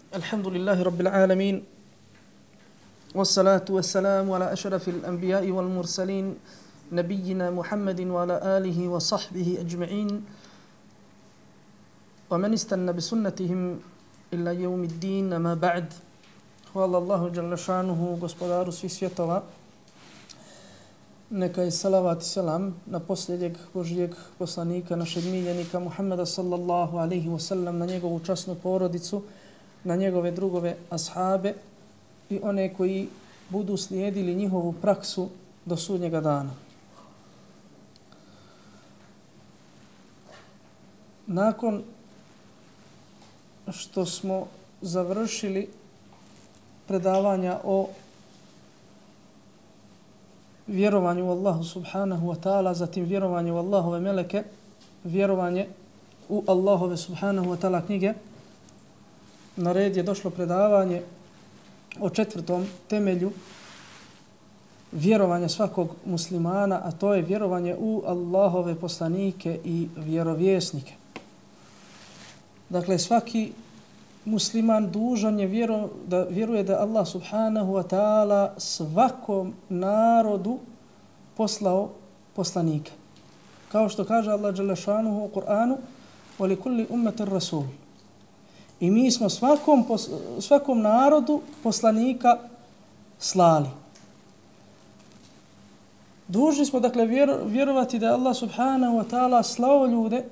الحمد لله رب العالمين والصلاة والسلام على أشرف الأنبياء والمرسلين نبينا محمد وعلى آله وصحبه أجمعين ومن استنى بسنتهم إلى يوم الدين ما بعد. Hvala Allahu dželle šanuhu, gospodaru svih svjetova. Neka je salavat i selam na posljednjeg Božijeg poslanika, našeg miljenika Muhammeda sallallahu alaihi wasallam, na njegovu časnu porodicu, na njegove drugove ashabe i one koji budu slijedili njihovu praksu do sudnjega dana. Nakon što smo završili predavanja o vjerovanju u Allahu subhanahu wa ta'ala, zatim vjerovanje u Allahove meleke, vjerovanje u Allahove subhanahu wa ta'ala knjige, na red je došlo predavanje o četvrtom temelju vjerovanja svakog muslimana, a to je vjerovanje u Allahove poslanike i vjerovjesnike. Dakle, svaki musliman dužan je da vjeruje da Allah subhanahu wa ta'ala svakom narodu poslao poslanika. Kao što kaže Allah dželle šanuhu u Kur'anu: وَلِكُلِّ أُمَّةٍ رَسُولٍ. I mi smo svakom narodu poslanika slali. Dužni smo dakle vjerovati da je Allah subhanahu wa ta'ala slao ljude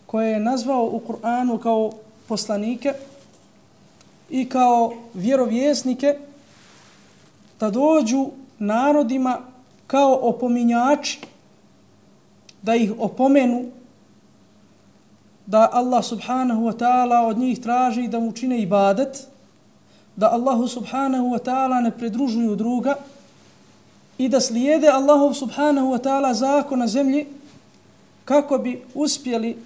koje je nazvao u Kur'anu kao poslanike i kao vjerovjesnike da dođu narodima kao opominjači, da ih opomenu, da Allah subhanahu wa ta'ala od njih traži da mu čine ibadet, da Allahu subhanahu wa ta'ala ne pridružuju druga i da slijede Allahu subhanahu wa ta'ala zakon na zemlji kako bi uspjeli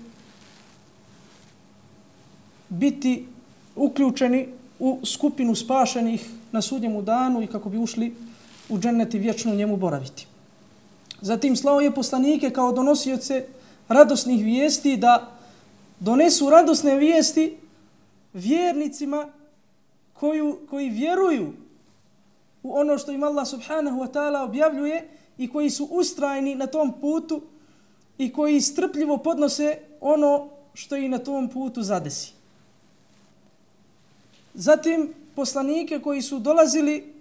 biti uključeni u skupinu spašenih na sudnjemu danu i kako bi ušli u džennet i vječno u njemu boraviti. Zatim slao je poslanike kao donosioce radosnih vijesti da donesu radosne vijesti vjernicima koji vjeruju u ono što im Allah subhanahu wa ta'ala objavljuje i koji su ustrajni na tom putu i koji strpljivo podnose ono što i na tom putu zadesi. Zatim poslanike koji su dolazili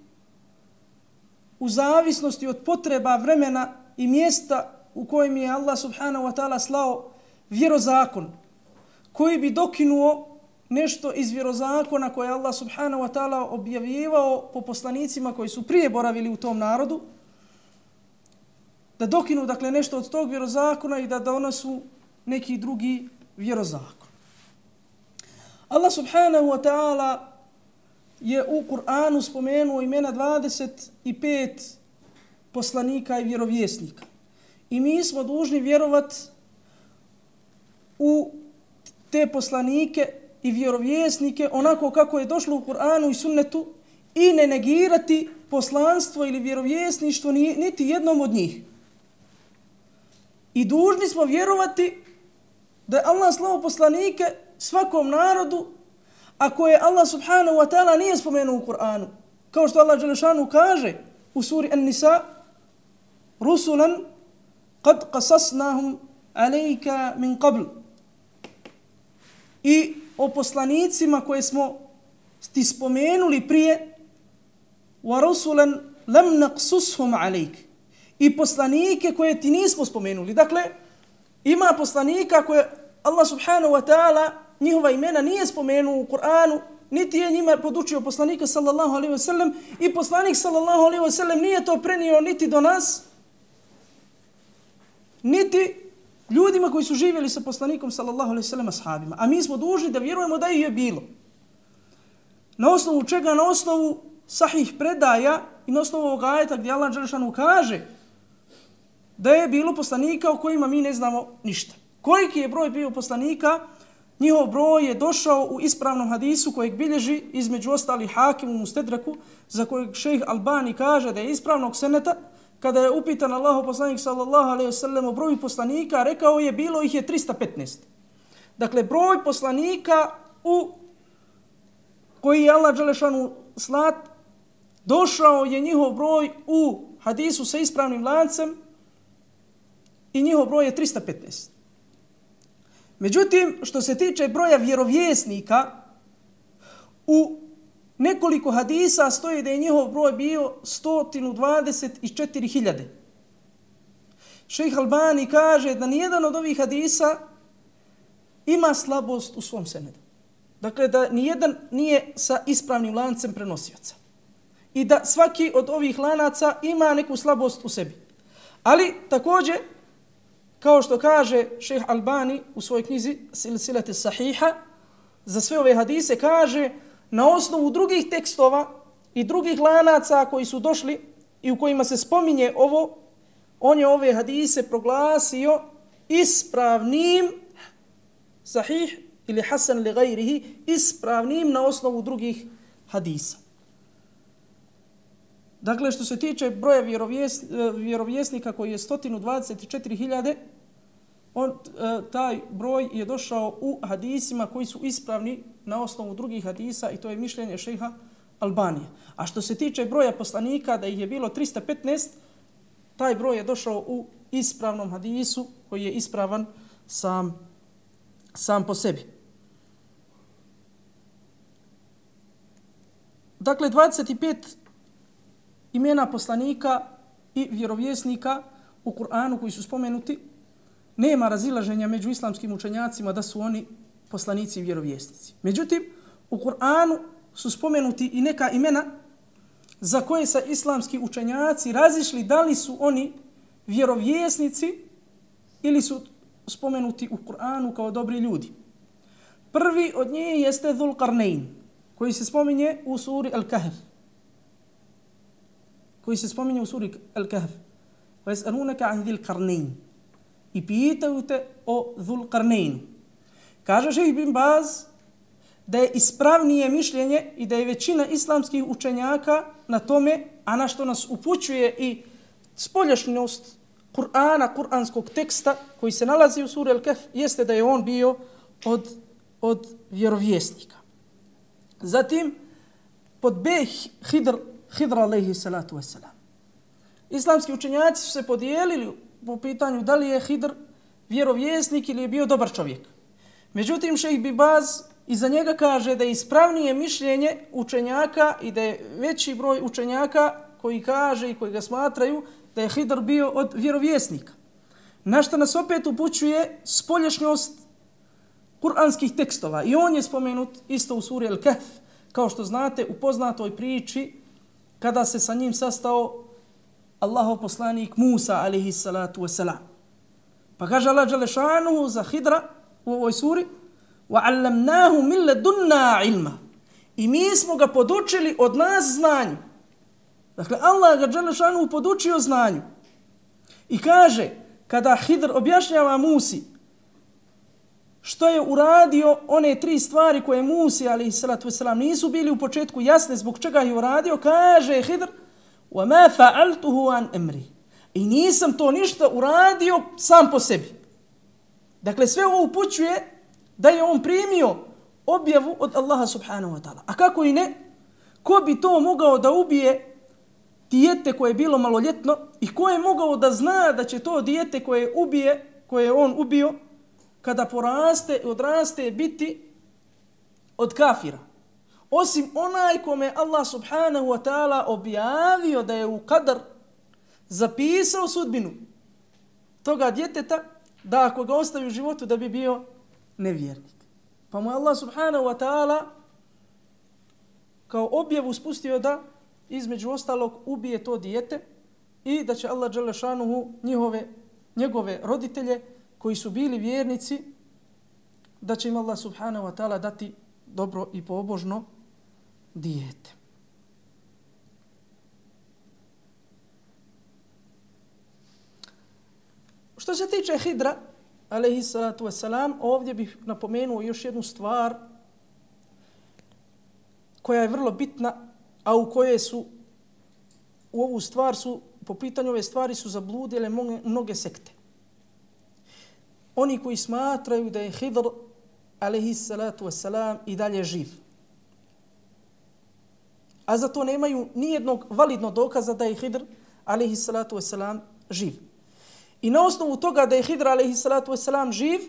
u zavisnosti od potreba vremena i mjesta u kojem je Allah subhanahu wa ta'ala slao vjerozakon, koji bi dokinuo nešto iz vjerozakona koje je Allah subhanahu wa ta'ala objavljivao po poslanicima koji su prije boravili u tom narodu, da dokinu dakle nešto od tog vjerozakona i da donosu neki drugi vjerozakon. Allah subhanahu wa ta'ala je u Kur'anu spomenuo imena 25 poslanika i vjerovjesnika. I mi smo dužni vjerovat u te poslanike i vjerovjesnike onako kako je došlo u Kur'anu i sunnetu i ne negirati poslanstvo ili vjerovjesništvo niti jednom od njih. I dužni smo vjerovati da je Allah slao poslanike svakom narodu, a koje Allah subhanahu wa ta'ala nije spomenuo u Kur'anu. Kao što Allah dželle šanuhu kaže u suri An-Nisa: rusulan qad qasasnahum alayka min qabl. I o poslanicima koje smo ti spomenuli prije: wa rusulan lam naqsushum alayk. I poslanike koje ti nismo spomenuli. Dakle, ima poslanika koje Allah subhanahu wa ta'ala njihova imena nije spomenuo u Kur'anu, niti je njima podučio poslanika sallallahu alaihi wa sallam i poslanik sallallahu alaihi wa sallam nije to prenio niti do nas, niti ljudima koji su živjeli sa poslanikom sallallahu alaihi wa sallam ashabima. A mi smo dužni da vjerujemo da ih je bilo. Na osnovu čega? Na osnovu sahih predaja i na osnovu ovog ajeta gdje Allah dželle šanuhu kaže da je bilo poslanika o kojima mi ne znamo ništa. Koliki je broj bio poslanika? Njihov broj je došao u ispravnom hadisu kojeg bilježi između ostalih Hakim u Mustedraku, za kojeg šejh Albani kaže da je ispravnog seneta. Kada je upitan Allahov poslanik sallallahu alejhi ve sellem o broju poslanika, rekao je bilo ih je 315. Dakle, broj poslanika koji je Allah dželešanu slat, došao je njihov broj u hadisu sa ispravnim lancem i njihov broj je 315. Međutim, što se tiče broja vjerovjesnika, u nekoliko hadisa stoji da je njihov broj bio 124.000. Šejh Albani kaže da nijedan od ovih hadisa ima slabost u svom senedu. Dakle, da nijedan nije sa ispravnim lancem prenosioca. I da svaki od ovih lanaca ima neku slabost u sebi. Ali, također, kao što kaže šejh Albani u svojoj knjizi Silsilete Sahiha, za sve ove hadise kaže na osnovu drugih tekstova i drugih lanaca koji su došli i u kojima se spominje ovo, on je ove hadise proglasio ispravnim, sahih ili hasan li gajrihi, ispravnim na osnovu drugih hadisa. Dakle, što se tiče broja vjerovjesnika koji je 124.000, taj broj je došao u hadisima koji su ispravni na osnovu drugih hadisa i to je mišljenje šejha Albanije. A što se tiče broja poslanika, da ih je bilo 315, taj broj je došao u ispravnom hadisu koji je ispravan sam po sebi. Dakle, 25 imena poslanika i vjerovjesnika u Kur'anu koji su spomenuti, nema razilaženja među islamskim učenjacima da su oni poslanici i vjerovjesnici. Međutim, u Kur'anu su spomenuti i neka imena za koje sa islamski učenjaci razišli da li su oni vjerovjesnici ili su spomenuti u Kur'anu kao dobri ljudi. Prvi od njih jeste Dhul Qarnayn, koji se spominje u suri Al-Kahf. وَيَسْأَلُونَكَ عَنْ ذِي الْقَرْنَيْنِ I pitaju te o Dhul Qarnayn. Kaže šejh bin Baz da je ispravnije mišljenje i da je većina islamskih učenjaka na tome, a na što nas upućuje i spoljašnjost Kur'ana, kuranskog teksta koji se nalazi u suri Al-Kahf, jeste da je on bio od vjerovjesnika. Zatim, pod B Hidr alejhi salatu vesselam. Islamski učenjaci su se podijelili po pitanju da li je Hidr vjerovjesnik ili je bio dobar čovjek. Međutim, šejh bin Baz iza njega kaže da je ispravnije mišljenje učenjaka i da je veći broj učenjaka koji kaže i koji ga smatraju da je Hidr bio od vjerovjesnika. Na što nas opet upućuje spoljašnjost kuranskih tekstova. I on je spomenut isto u suri Al-Kahf, kao što znate u poznatoj priči kada se sa njim sastao Allahov poslanik Musa alejhi salatu vesselam. Pa kaže Allah dželle šanuhu za Hidra u ovoj suri: وَعَلَّمْنَاهُ مِنْ لَدُنَّا عِلْمًا I mi smo ga podučili od nas znanju. Dakle, Allah ga dželle šanuhu podučio znanju. I kaže, kada Hidr objašnjava Musi što je uradio one 3 stvari koje Musi alejhi salatu vesselam nisu bili u početku jasne zbog čega je uradio, kaže Hidr: وَمَا فَعَلْتُهُ عَنْ أَمْرِي I nisam to ništa uradio sam po sebi. Dakle, sve ovo upućuje da je on primio objavu od Allaha subhanahu wa ta'ala. A kako i ne? Ko bi to mogao da ubije dijete koje je bilo maloljetno i ko je mogao da zna da će to dijete koje je on ubio, kada poraste i odraste biti od kafira? Osim onaj kome Allah subhanahu wa ta'ala objavio da je u kadar zapisao sudbinu toga djeteta, da ako ga ostavi u životu da bi bio nevjernik. Pa mu Allah subhanahu wa ta'ala kao objavu spustio da između ostalog ubije to dijete i da će Allah dželle šanuhu njegove roditelje koji su bili vjernici, da će im Allah subhanahu wa ta'ala dati dobro i pobožno dijete. Što se tiče Hidra alejhi salatu vesselam, ovdje bih napomenuo još jednu stvar koja je vrlo bitna, a u ovu stvar su, po pitanju ove stvari su zabludile mnoge sekte. Oni koji smatraju da je Hidr alejhi salatu vesselam i dalje živ. A za to nemaju nijednog validnog dokaza da je Hidr alejhi salatu vesselam živ. I na osnovu toga da je Hidr alejhi salatu vesselam živ,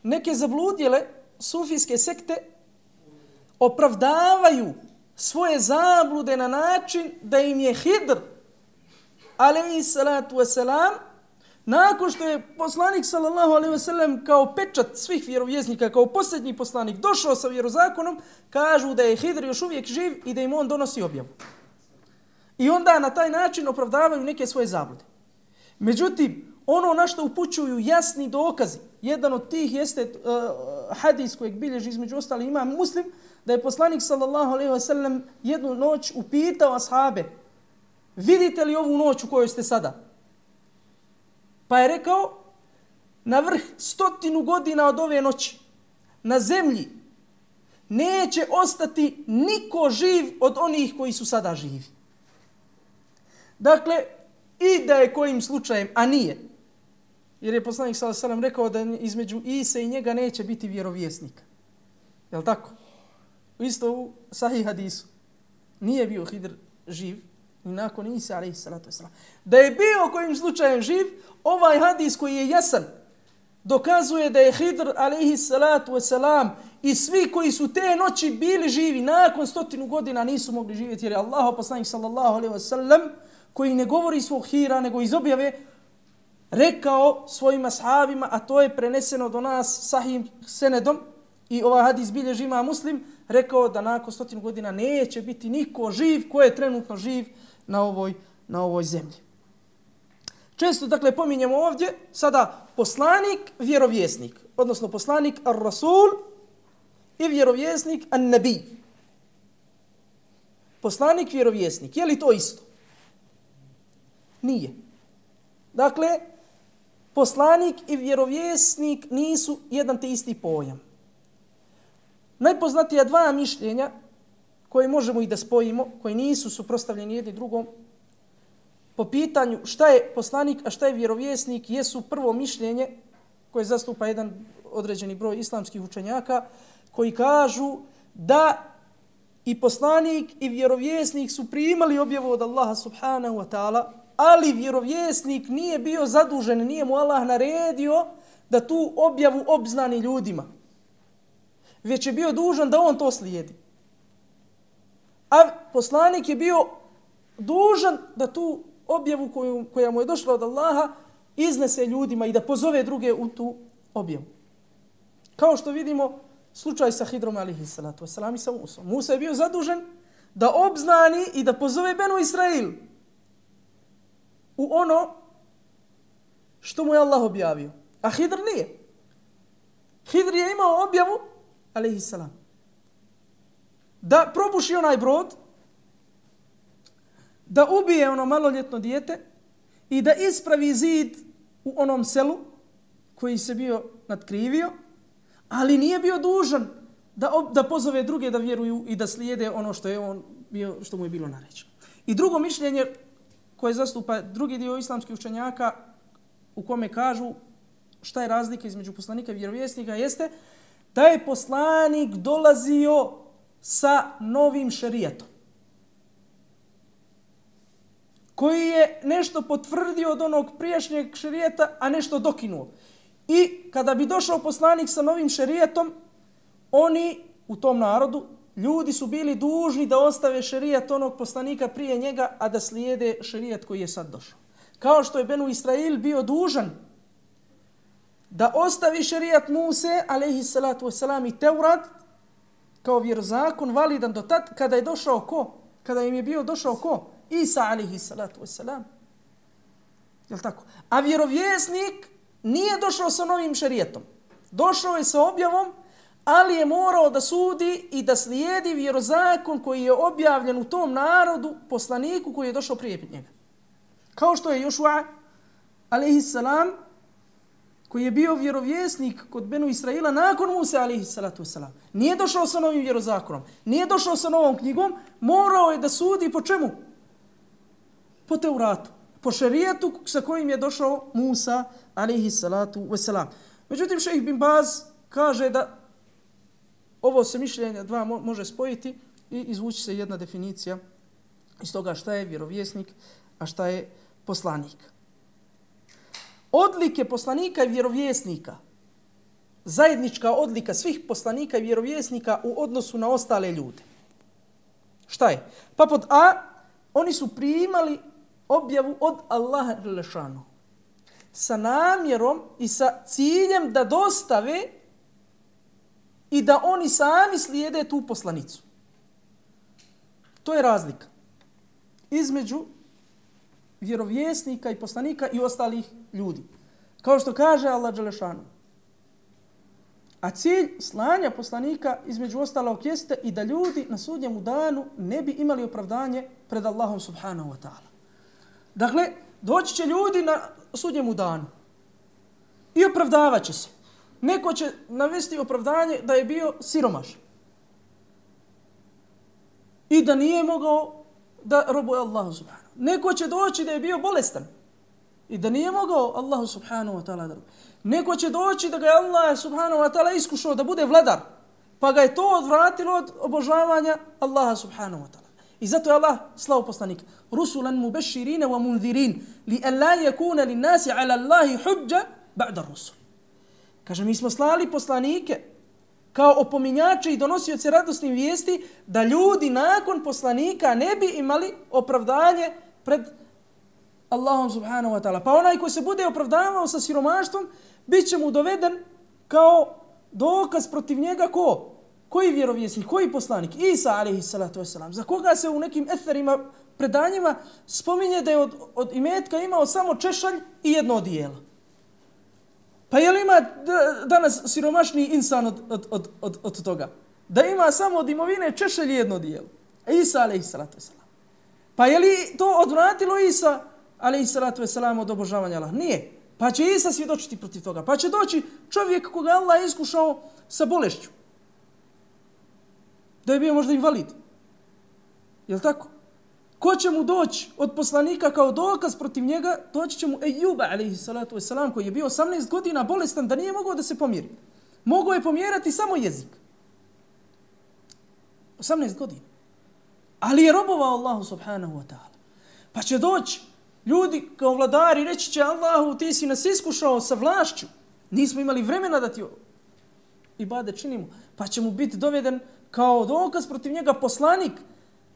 neke zabludjele sufijske sekte opravdavaju svoje zablude na način da im je Hidr alejhi salatu vesselam nakon što je poslanik sallallahu alejhi ve sellem kao pečat svih vjerovjesnika, kao posljednji poslanik došao sa vjerozakonom, kažu da je Hidr još uvijek živ i da im on donosi objavu. I onda na taj način opravdavaju neke svoje zablude. Međutim, ono na što upućuju jasni dokazi, jedan od tih jeste hadis kojeg bilježi između ostali imam Muslim, da je poslanik sallallahu alejhi ve sellem jednu noć upitao ashabe: vidite li ovu noć u kojoj ste sada? Pa je rekao: na vrh 100 godina od ove noći na zemlji neće ostati niko živ od onih koji su sada živi. Dakle, i da je kojim slučajem, a nije, jer je poslanik sallallahu alejhi ve sellem rekao da između Ise i njega neće biti vjerovjesnika. Jel' tako? Isto u sahih hadisu. Nije bio Hidr živ ni nakon Isa alejhi salatu vesselam. Da je bio kojim slučajem živ, ovaj hadis koji je jasan dokazuje da je Hidr alejhi salatu vesselam i svi koji su te noći bili živi nakon 100 godina nisu mogli živjeti, jer je Allahov poslanik sallallahu alejhi ve sellem, koji ne govori svog hira nego iz objave, rekao svojim ashabima, a to je preneseno do nas sahih senedom i ovaj hadis bilježi imam Muslim, rekao da nakon 100 godina neće biti niko živ ko je trenutno živ na ovoj zemlji. Često, dakle, pominjemo ovdje sada poslanik, vjerovjesnik, odnosno poslanik ar-Rasul i vjerovjesnik an-Nabi. Poslanik, vjerovjesnik, je li to isto? Nije. Dakle, poslanik i vjerovjesnik nisu jedan te isti pojam. Najpoznatija dva mišljenja koje možemo i da spojimo, koji nisu suprotstavljeni jedni drugom, po pitanju šta je poslanik, a šta je vjerovjesnik, jesu prvo mišljenje koje zastupa jedan određeni broj islamskih učenjaka, koji kažu da i poslanik i vjerovjesnik su primali objavu od Allaha subhanahu wa ta'ala, ali vjerovjesnik nije bio zadužen, nije mu Allah naredio da tu objavu obznani ljudima, već je bio dužan da on to slijedi. A poslanik je bio dužan da tu objavu koja mu je došla od Allaha iznese ljudima i da pozove druge u tu objavu. Kao što vidimo slučaj sa Hidrom alejhi salatu vesselam i sa Musom. Musa je bio zadužen da obznani i da pozove Benu Israil u ono što mu je Allah objavio. A Hidr nije. Hidr je imao objavu alejhi salam da probuši onaj brod, da ubije ono maloljetno dijete i da ispravi zid u onom selu koji se bio nadkrivio, ali nije bio dužan da pozove druge da vjeruju i da slijede ono što je on bio, što mu je bilo naređeno. I drugo mišljenje koje zastupa drugi dio islamskih učenjaka, u kome kažu šta je razlika između poslanika i vjerovjesnika, jeste da je poslanik dolazio sa novim šerijatom, koji je nešto potvrdio od onog prijašnjeg šerijata, a nešto dokinuo. I kada bi došao poslanik sa novim šerijatom, oni u tom narodu, ljudi su bili dužni da ostave šerijat onog poslanika prije njega, a da slijede šerijat koji je sad došao. Kao što je Benu Israil bio dužan da ostavi šerijat Muse, alejhi salatu vesselam, i Teurat kao vjerozakon validan do tad kada je došao ko? Kada im je bio došao ko? Isa alejhi salatu vesselam. Jel' tako? A vjerovjesnik nije došao sa novim šerijatom. Došao je sa objavom, ali je morao da sudi i da slijedi vjerozakon koji je objavljen u tom narodu poslaniku koji je došao prije njega. Kao što je Jošua alejhi salam, koji je bio vjerovjesnik kod Benu Israila nakon Musa alejhi salatu vesselam. Nije došao sa novim vjerozakonom, nije došao sa novom knjigom, morao je da sudi po čemu? Po Teuratu, po šerijatu sa kojim je došao Musa alejhi salatu vesselam. Međutim, šejh bin Baz kaže da ovo se mišljenja dva može spojiti i izvući se jedna definicija iz toga šta je vjerovjesnik, a šta je poslanik. Odlike poslanika i vjerovjesnika, zajednička odlika svih poslanika i vjerovjesnika u odnosu na ostale ljude. Šta je? Pa pod A, oni su primali objavu od Allaha dželešanu sa namjerom i sa ciljem da dostave i da oni sami slijede tu poslanicu. To je razlika između vjerovjesnika i poslanika i ostalih ljudi. Kao što kaže Allah dželešanu. A cilj slanja poslanika između ostalog jeste i da ljudi na sudnjemu danu ne bi imali opravdanje pred Allahom subhanahu wa ta'ala. Dakle, doći će ljudi na sudnjemu danu i opravdavat će se. Neko će navesti opravdanje da je bio siromaš i da nije mogao da robuje Allahu subhanahu. Neko će doći da je bio bolestan i da nije mogao Allahu subhanahu wa ta'ala da robuje. Neko će doći da ga je Allah subhanahu wa ta'ala iskušao da bude vladar, pa ga je to odvratilo od obožavanja Allaha subhanahu wa ta'ala. I zato je Allah slao poslanika. Rusulan mubeširine wa munzirin li an la yakuna lin nasi ala Allahi hujja ba'da rusul. Kaže, mi smo slali poslanike kao opominjače i donosioce radosnih vijesti da ljudi nakon poslanika ne bi imali opravdanje pred Allahom subhanahu wa ta'ala. Pa onaj koji se bude opravdavao sa siromaštvom, bit će mu doveden kao dokaz protiv njega ko? Koji vjerovjesnik, koji poslanik? Isa alejhi salatu vesselam. Za koga se u nekim etherima, predanjima spominje da je od imetka imao samo češalj i jedno odijelo. Pa je li ima danas siromašniji insan od toga? Da ima samo od imovine češalj i jedno odijelo. Isa alejhi salatu vesselam. Pa je li to odvratilo Isa alejhi salatu vesselam od obožavanja Allaha? Nije. Pa će Isa svjedočiti protiv toga. Pa će doći čovjek koga Allah iskušao sa bolešću. Da je bio možda invalid. Je li tako? Ko će mu doći od poslanika kao dokaz protiv njega? Doći će mu Ejuba, alejhi salatu vesselam, koji je bio 18 godina bolestan, da nije mogao da se pomiri. Mogao je pomjerati samo jezik. 18 godina. Ali je robovao Allahu subhanahu wa ta'ala. Pa će doći ljudi kao vladari, reći će Allahu, ti si nas iskušao sa vlašću. Nismo imali vremena da ti ibadet činimo. Pa će mu biti doveden kao dokaz protiv njega poslanik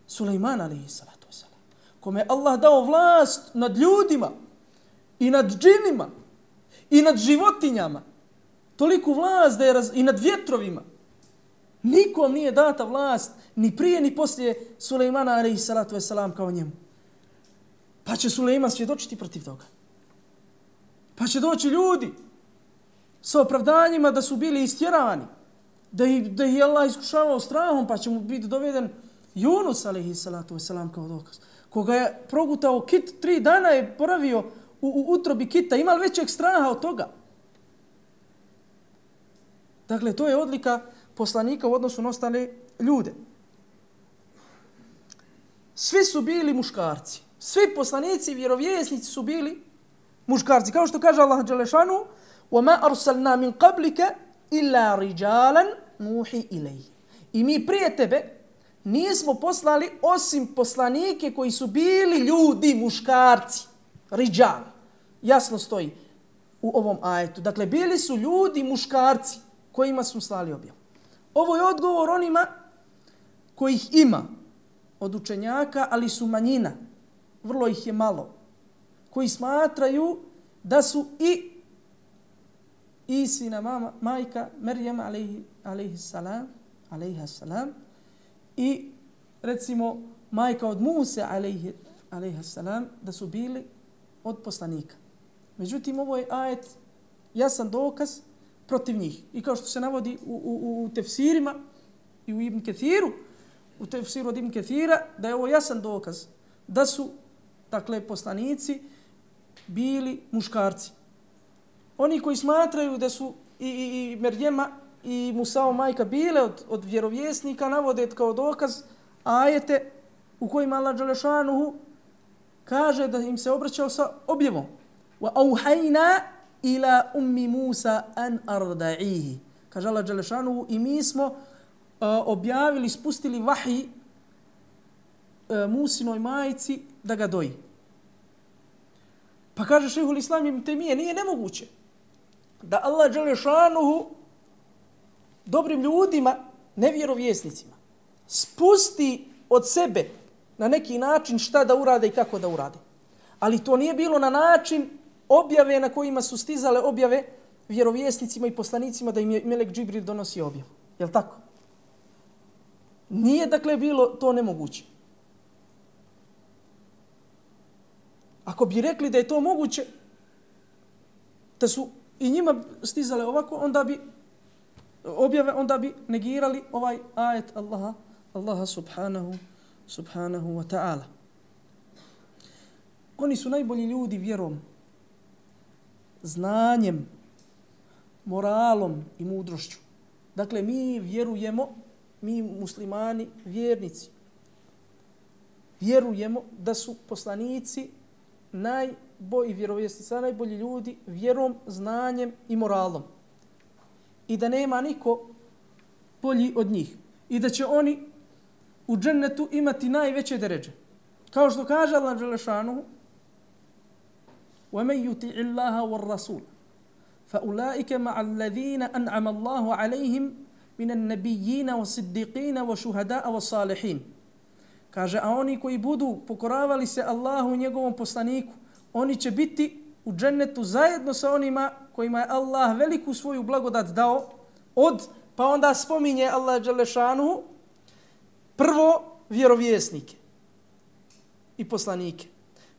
Sulejman alejhi salatu vesselam, kome je Allah dao vlast nad ljudima i nad džinima i nad životinjama. Toliku vlast da je i nad vjetrovima. Nikom nije data vlast ni prije ni poslije Sulejmana alejhi salatu vesselam kao njemu. Pa će Sulejman svjedočiti protiv toga. Pa će doći ljudi sa opravdanjima da su bili istjerani, da ih je Allah iskušavao strahom, pa će mu biti doveden Yunus alejhi salatu vesselam kao dokaz, koga je progutao kit, 3 dana je boravio u utrobi kita, ima li većeg straha od toga? Dakle, to je odlika poslanika u odnosu na ostale ljude. Svi su bili muškarci. Svi poslanici i vjerovjesnici su bili muškarci. Kao što kaže Allah dželešanu, وَمَا أَرْسَلْنَا مِنْ قَبْلِكَ إِلَّا رِجَالًا نُوحِي إِلَيْهِ. I mi prije tebe nismo poslali osim poslanike koji su bili ljudi, muškarci. Rijal. Jasno stoji u ovom ajetu. Dakle, bili su ljudi, muškarci kojima smo slali objavu. Ovo je odgovor onima kojih ima od učenjaka, ali su manjina. Vrlo ih je malo. Koji smatraju da su i Isina majka Merjem alejhi salam i recimo majka od Muse alejhi salam da su bili od poslanika. Međutim, ovo je ajet jasan dokaz protiv njih. I kao što se navodi u tefsirima i u Ibn Kethiru, u tefsiru od Ibn Kethira, da je ovo jasan dokaz da su, dakle, poslanici bili muškarci. Oni koji smatraju da su i Merjema i Musao majka bile od vjerovjesnika, navode kao dokaz ajete u kojima Allah dželešanuhu kaže da im se obraćao sa objavom. Wa auhayna ila ummi Musa an arda'ihi. Kaže Allah dželešanu, i mi smo objavili, spustili vahij Musinoj majici da ga doji. Pa kaže šejhul Islam ibn Tejmije, nije nemoguće da Allah dželešanu dobrim ljudima, nevjerovjesnicima, spusti od sebe na neki način šta da urade i kako da urade. Ali to nije bilo na način objave na kojima su stizale objave vjerovjesnicima i poslanicima da im je Melek Džibril donosi objavu. Jel' tako? Nije dakle bilo to nemoguće. Ako bi rekli da je to moguće, da su i njima stizale ovako, onda bi objave, onda bi negirali ovaj ajet Allaha subhanahu wa ta'ala. Oni su najbolji ljudi vjerom, znanjem, moralom i mudrošću. Dakle, mi vjerujemo, mi muslimani, vjernici, vjerujemo da su poslanici najbolji vjerovjesnici, najbolji ljudi vjerom, znanjem i moralom. I da nema niko bolji od njih. I da će oni u džennetu imati najveće deređe. Kao što kaže Allah dželešanuhu: وَمَنْ يُطِعِ اللَّهَ وَالرَّسُولَ فَأُولَٰئِكَ مَعَ الَّذِينَ أَنْعَمَ اللَّهُ عَلَيْهِمْ مِنَ النَّبِيِّينَ وَالصِّدِّقِينَ وَشُهَدَاءَ وَالصَّالِحِينَ. Kaže, a oni koji budu pokoravali se Allahu i njegovom poslaniku, oni će biti u džennetu zajedno sa onima kojima je Allah veliku svoju blagodat dao pa onda spominje Allah dželešanuhu prvo vjerovjesnike i poslanike,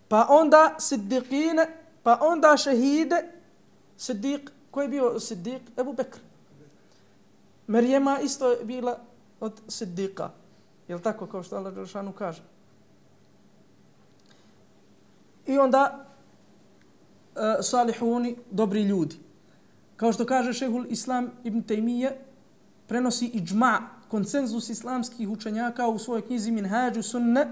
pa onda siddiqine, pa onda šehide. Siddiq, ko je bio siddiq? Ebu Bekr. Merijema isto je bila od siddiqa. Jel' tako kao što Allah dželešanuhu kaže? I onda salihuni, dobri ljudi. Kao što kaže šejhul Islam ibn Tejmije, prenosi iđma, konsenzus islamskih učenjaka u svojoj knjizi Minhađu Sunne,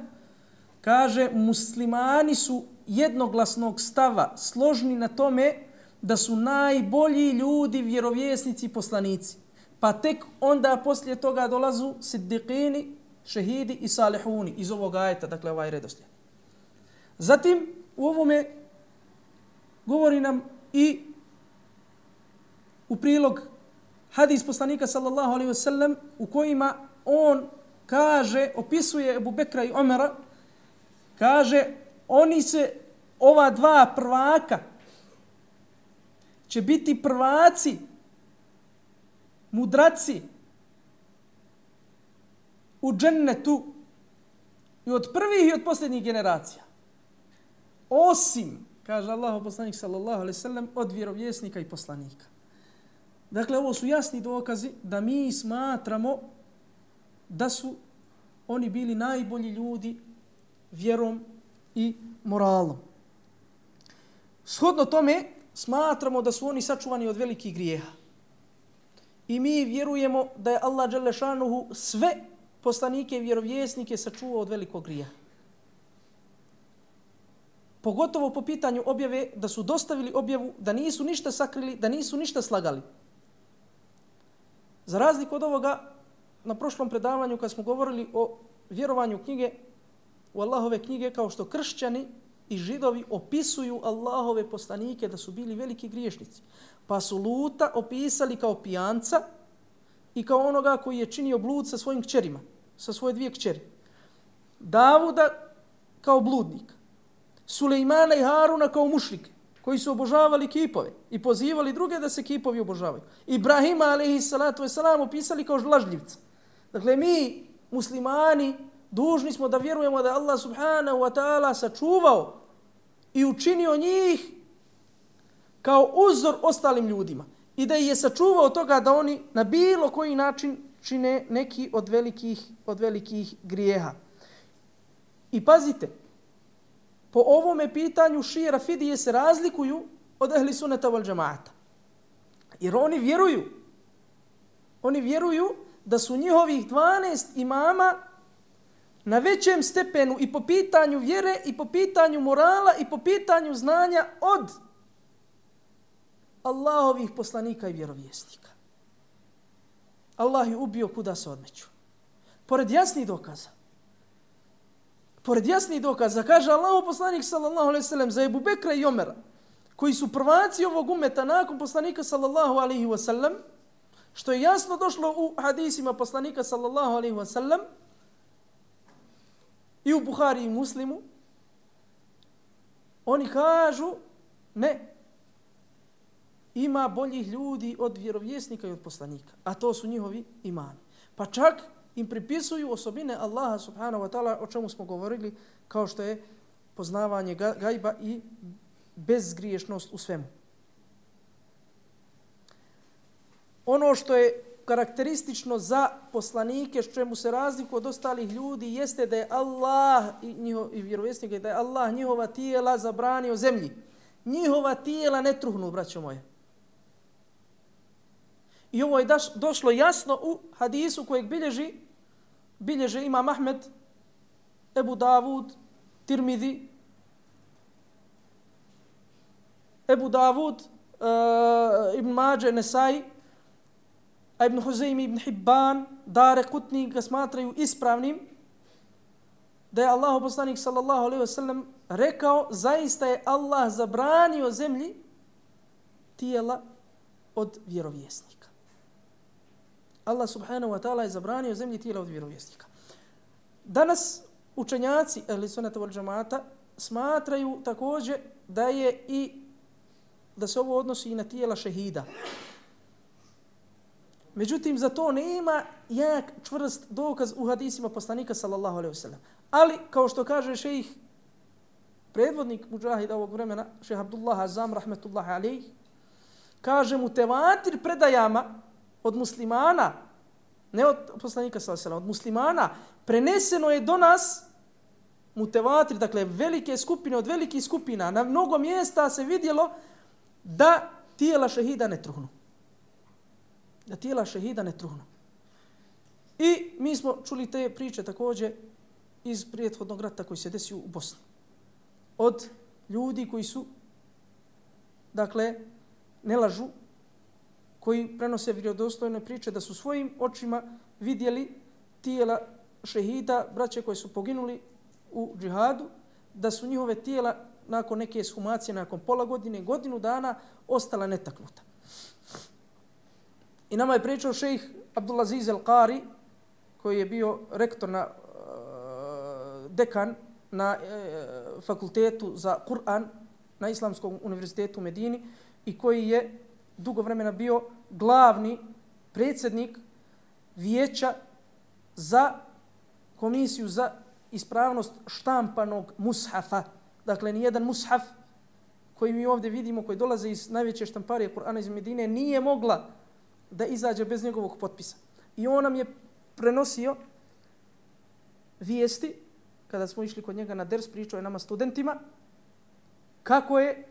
kaže, muslimani su jednoglasnog stava, složni na tome da su najbolji ljudi, vjerovjesnici i poslanici. Pa tek onda poslije toga dolazu siddiqini, šehidi i salihuni iz ovog ajeta, dakle ovaj redoslijed. Zatim u ovome govori nam i u prilog hadis poslanika sallallahu alejhi ve sellem u kojima on kaže, opisuje Ebu Bekra i Omera, kaže, oni se, ova dva prvaka, će biti prvaci, mudraci u džennetu i od prvih i od posljednjih generacija. Osim, kaže Allahov poslanik sallallahu alejhi ve sellem, od vjerovjesnika i poslanika. Dakle, ovo su jasni dokazi da mi smatramo da su oni bili najbolji ljudi vjerom i moralom. Shodno tome, smatramo da su oni sačuvani od velikih grijeha. I mi vjerujemo da je Allah dželešanuhu sve poslanike i vjerovjesnike sačuvao od velikog grijeha. Pogotovo po pitanju objave, da su dostavili objavu, da nisu ništa sakrili, da nisu ništa slagali. Za razliku od ovoga, na prošlom predavanju kad smo govorili o vjerovanju knjige, u Allahove knjige, kao što kršćani i židovi opisuju Allahove poslanike da su bili veliki griješnici. Pa su Luta opisali kao pijanca i kao onoga koji je činio blud sa svojim kćerima, sa svoje dvije kćeri. Davuda kao bludnik. Sulejmana i Haruna kao mušrike, koji su obožavali kipove i pozivali druge da se kipovi obožavaju. Ibrahima alejhi salatu vesselam opisali kao lažljivca. Dakle, mi, muslimani, dužni smo da vjerujemo da Allah subhanahu wa ta'ala sačuvao i učinio njih kao uzor ostalim ljudima i da ih je sačuvao toga da oni na bilo koji način čine neki od velikih grijeha. I pazite, po ovome pitanju šije rafidije se razlikuju od ehli sunneta wal džemaata. Jer oni vjeruju da su njihovih 12 imama na većem stepenu i po pitanju vjere, i po pitanju morala, i po pitanju znanja od Allahovih poslanika i vjerovjesnika. Allah je ubio kuda se odmeću. Pored jasnih dokaza, kaže Allahov poslanik sallallahu alejhi ve sellem za Ebu Bekra i Omera, koji su prvaci ovog umeta nakon poslanika sallallahu alejhi ve sellem, što je jasno došlo u hadisima poslanika sallallahu alejhi ve sellem i u Buhari i Muslimu, oni kažu ne, ima boljih ljudi od vjerovjesnika i od poslanika, a to su njihovi imani. Pa čak im pripisuju osobine Allaha subhanahu wa ta'ala, o čemu smo govorili, kao što je poznavanje gajba i bezgriješnost u svemu. Ono što je karakteristično za poslanike, s čemu se razliku od ostalih ljudi, jeste da je Allah i vjerovjesnika, da je Allah njihova tijela zabranio zemlji. Njihova tijela ne truhnu, braćo moje. I ovo je došlo jasno u hadisu kojeg bilježe Imam Ahmed, Ebu Davud, Tirmidhi, Ibn Mađe, Nesai, a Ibn Huzeymi, Ibn Hibban, Daraqutni ga smatraju ispravnim, da je Allahu poslanik sallallahu alejhi ve sellem rekao, zaista je Allah zabranio zemlji tijela od vjerovjesnika. Allah subhanahu wa ta'ala je zabranio zemlji tijela od vjerovjesnika. Danas učenjaci ehli sunnata wal džamaata smatraju također da se ovo odnosi i na tijela šehida. Međutim, za to nema jak čvrst dokaz u hadisima poslanika sallallahu alejhi ve sellem. Ali, kao što kaže šejih, predvodnik muđahida ovog vremena, šejh Abdullah Azam, rahmetullahi alejhi, kaže mu tevatir predajama od muslimana, ne od poslanika sallallahu alejhi ve sellem, od muslimana, preneseno je do nas mutevatir, dakle velike skupine od velikih skupina, na mnogo mjesta se vidjelo da tijela šehida ne truhnu. Da tijela šehida ne truhnu. I mi smo čuli te priče također iz prethodnog rata koji se desio u Bosni. Od ljudi koji su, dakle, ne lažu, koji prenose vjerodostojne priče da su svojim očima vidjeli tijela šehida, braće koji su poginuli u džihadu, da su njihove tijela nakon neke ekshumacije, nakon pola godine, godinu dana, ostala netaknuta. I nama je pričao šejh Abdulaziz al-Qari, koji je bio rektor dekan na fakultetu za Kur'an na Islamskom univerzitetu u Medini i koji je dugo vremena bio glavni predsjednik vijeća za komisiju za ispravnost štampanog mushafa. Dakle, nijedan mushaf koji mi ovdje vidimo, koji dolaze iz najveće štamparije Kur'ana iz Medine, nije mogla da izađe bez njegovog potpisa. I on nam je prenosio vijesti, kada smo išli kod njega na ders, pričao je nama studentima, kako je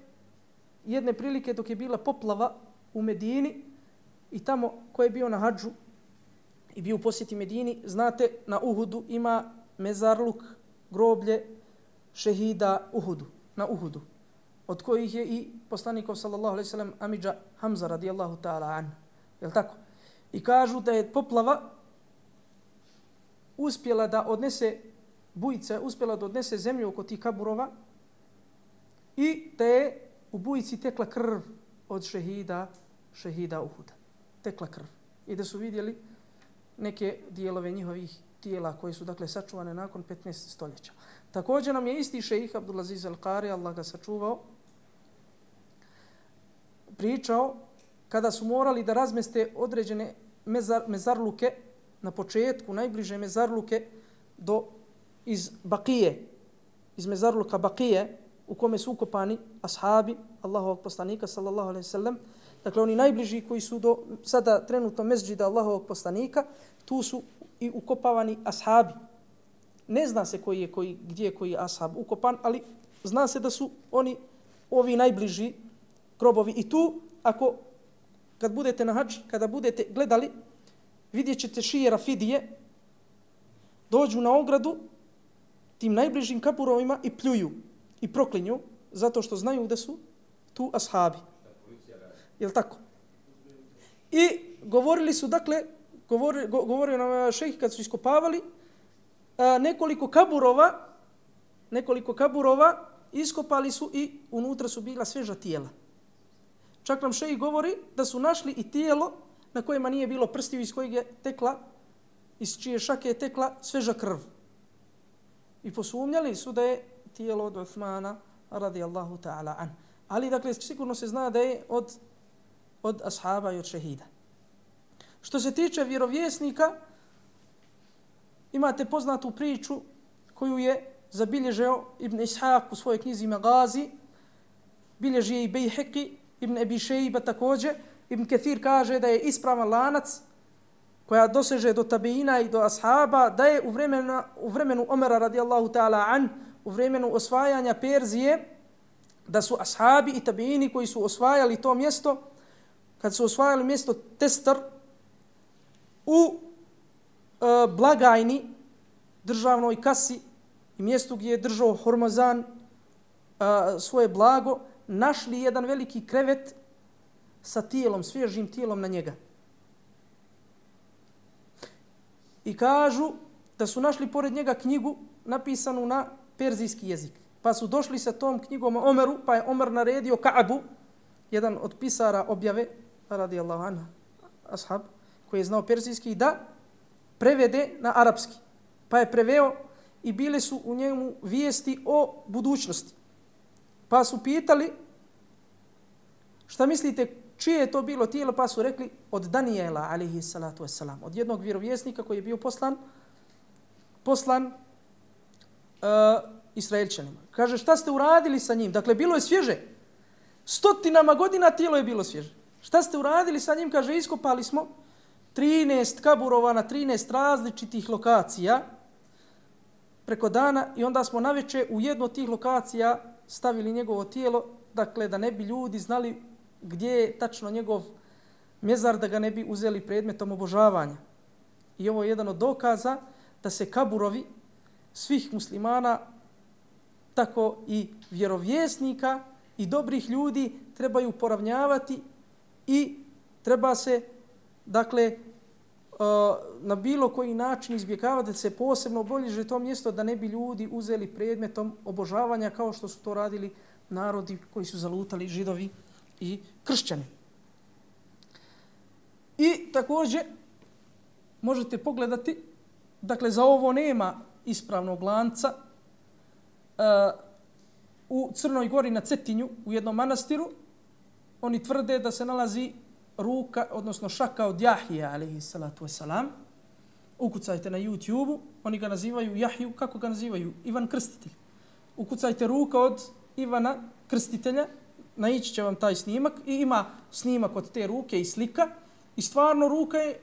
jedne prilike dok je bila poplava u Medini i tamo ko je bio na hadžu i bio u posjeti Medini, znate, na Uhudu ima mezarluk, groblje šehida na Uhudu, od kojih je i poslanikov sallallahu alejhi ve sellem amidža Hamza radijallahu ta'ala an. Jel tako? I kažu da je poplava uspjela da odnese bujica, uspjela da odnese zemlju oko tih kaburova i da je u bujici tekla krv od šehida Uhuda. Tekla krv. I da su vidjeli neke dijelove njihovih tijela koje su, dakle, sačuvane nakon 15 stoljeća. Također nam je isti šejih Abdulaziz al-Qari, Allah ga sačuvao, pričao kada su morali da razmeste određene mezarluke na početku, najbliže mezarluke iz Bakije, iz mezarluka Bakije, u kome su ukopani ashabi Allahovog poslanika sallallahu alejhi ve sellem. Dakle, oni najbliži koji su do sada trenutno mezđida Allahovog poslanika, tu su i ukopavani ashabi. Ne zna se gdje je koji ashab ukopan, ali zna se da su oni ovi najbliži grobovi. I tu, kad budete na hadž, kada budete gledali, vidjet ćete šije Rafidije, dođu na ogradu tim najbližim kaburovima i pljuju i proklinju, zato što znaju da su tu ashabi. Jel tako? I govorili su, dakle, govorio nam šejh kad su iskopavali, nekoliko kaburova iskopali su i unutra su bila sveža tijela. Čak nam šejh govori da su našli i tijelo na kojima nije bilo prstiju, iz čije šake je tekla sveža krv. I posumnjali su da je tijelo od Uthmana radijallahu ta'ala an. Ali, dakle, sigurno se zna da je od ashaba i od šehida. Što se tiče vjerovjesnika, imate poznatu priču koju je zabilježio Ibn Ishaq u svojoj knjizi Magazi, bilježi je i Bejheqi, Ibn Abi Šejba također. Ibn Kathir kaže da je ispravan lanac koja doseže do tabeina i do ashaba, da je u vremenu Omera radijallahu ta'ala an, u vremenu osvajanja Perzije, da su ashabi i tabeini koji su osvajali to mjesto, kad su osvajali mjesto Testar, u blagajni, državnoj kasi i mjestu gdje je držao Hormozan svoje blago, našli jedan veliki krevet sa tijelom, svježim tijelom na njega. I kažu da su našli pored njega knjigu napisanu na perzijski jezik. Pa su došli sa tom knjigom Omeru, pa je Omer naredio Ka'bu, jedan od pisara objave, radijallahu anhu, ashab, koji je znao perzijski, da prevede na arapski. Pa je preveo i bile su u njemu vijesti o budućnosti. Pa su pitali, šta mislite, čije je to bilo tijelo? Pa su rekli, od Danijela, alaihi salatu wassalam, od jednog vjerovjesnika koji je bio poslan Israelčanima. Kaže, šta ste uradili sa njim? Dakle, bilo je svježe. Stotinama godina tijelo je bilo svježe. Šta ste uradili sa njim? Kaže, iskopali smo 13 kaburova na 13 različitih lokacija preko dana i onda smo naveče u jednu od tih lokacija stavili njegovo tijelo, dakle, da ne bi ljudi znali gdje je tačno njegov mezar, da ga ne bi uzeli predmetom obožavanja. I ovo je jedan od dokaza da se kaburovi svih muslimana, tako i vjerovjesnika i dobrih ljudi trebaju poravnjavati i treba se, dakle, na bilo koji način izbjegavati da se posebno obilježi to mjesto da ne bi ljudi uzeli predmetom obožavanja kao što su to radili narodi koji su zalutali, Židovi i kršćani. I također možete pogledati, dakle, za ovo nema ispravnog lanca, u Crnoj Gori na Cetinju, u jednom manastiru, oni tvrde da se nalazi ruka, odnosno šaka od Jahije, alaihi salatu wasalam. Ukucajte na YouTube-u, oni ga nazivaju Jahiju, kako ga nazivaju? Ivan Krstitelj. Ukucajte ruka od Ivana Krstitelja, naići će vam taj snimak i ima snimak od te ruke i slika i stvarno ruka je,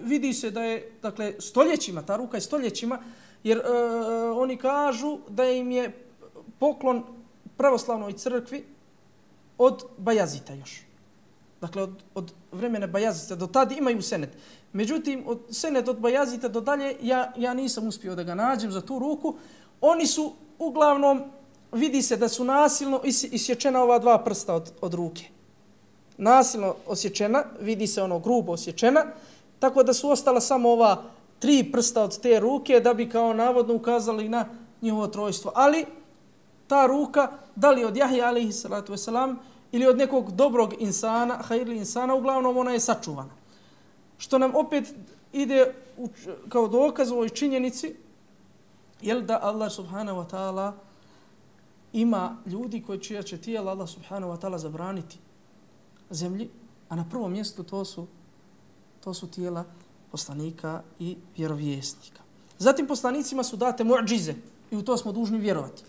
vidi se da je, dakle, stoljećima, ta ruka je stoljećima, jer oni kažu da im je poklon pravoslavnoj crkvi od Bajazita još. Dakle, od vremena Bajazita do tada imaju senet. Međutim, senet od Bajazita do dalje, ja nisam uspio da ga nađem za tu ruku. Oni su uglavnom, vidi se da su nasilno isječena ova dva prsta od ruke. Nasilno osječena, vidi se ono grubo osječena, tako da su ostala samo ova 3 prsta od te ruke da bi kao navodno ukazali na njihovo trojstvo. Ali ta ruka, da li od Jahije alaihi salatu wasalam ili od nekog dobrog insana, hajirli insana, uglavnom ona je sačuvana. Što nam opet ide kao dokaz u ovoj činjenici, jel da Allah subhanahu wa ta'ala ima ljudi koji čija će tijela Allah subhanahu wa ta'ala zabraniti zemlji, a na prvom mjestu to su tijela poslanika i vjerovjesnika. Zatim poslanicima su date mu'džize i u to smo dužni vjerovati.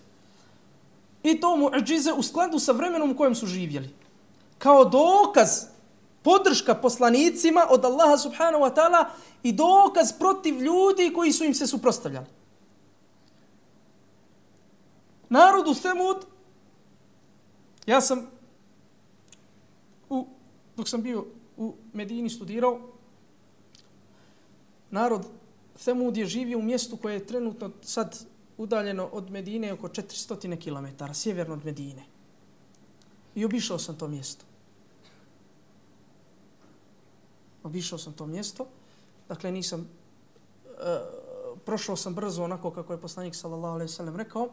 I to mu'džize u skladu sa vremenom u kojem su živjeli. Kao dokaz, podrška poslanicima od Allaha subhanahu wa ta'ala i dokaz protiv ljudi koji su im se suprotstavljali. Narodu Semud, ja sam dok sam bio u Medini studirao, narod Semud je živio u mjestu koje je trenutno sad udaljeno od Medine oko 400 km, sjeverno od Medine. I obišao sam to mjesto. Obišao sam to mjesto. Dakle, nisam... prošao sam brzo onako kako je poslanik sallallahu alejhi ve sellem rekao.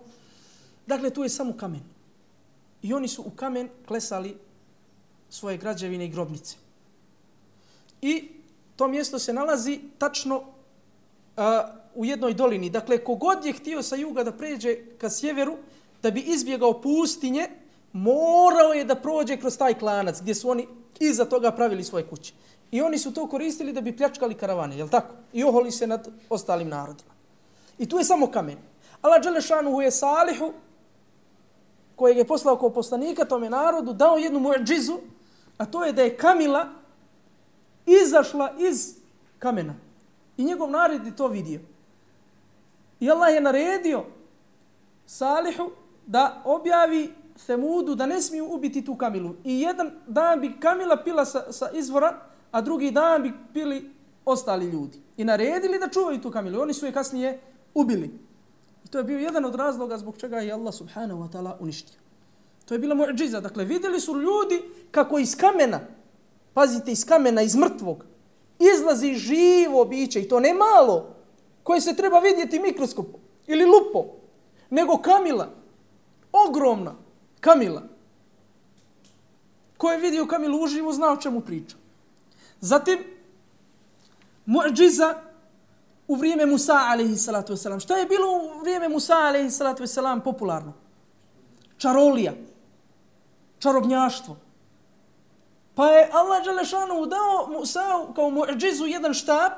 Dakle, tu je samo kamen. I oni su u kamen klesali svoje građevine i grobnice. I to mjesto se nalazi tačno u jednoj dolini. Dakle, kogod je htio sa juga da pređe ka sjeveru, da bi izbjegao pustinje, morao je da prođe kroz taj klanac gdje su oni iza toga pravili svoje kuće. I oni su to koristili da bi pljačkali karavane, jel tako? I oholi se nad ostalim narodima. I tu je samo kamen. Allah dželešanuhu je Salihu, kojeg je poslao kao poslanika tome narodu, dao jednu muadžizu, a to je da je kamila izašla iz kamena. I njegov narod je to vidio. I Allah je naredio Salihu da objavi Semudu da ne smiju ubiti tu kamilu. I jedan dan bi kamila pila sa izvora, a drugi dan bi pili ostali ljudi. I naredili da čuvaju tu kamilu. Oni su je kasnije ubili. I to je bio jedan od razloga zbog čega je Allah subhanahu wa ta'ala uništio. To je bila muadžiza. Dakle, vidjeli su ljudi kako iz kamena, pazite, iz kamena, iz mrtvog, izlazi živo biće, i to ne malo, koje se treba vidjeti mikroskopom ili lupom, nego kamila, ogromna kamila. Ko je vidio kamilu uživo, zna o čemu priča. Zatim, muadžiza u vrijeme Musa alejhi salatu vesselam. Šta je bilo u vrijeme Musa alejhi salatu vesselam popularno? Čarolija, čarobnjaštvo. Pa je Allah dželešanu dao Musa kao muadžizu jedan štap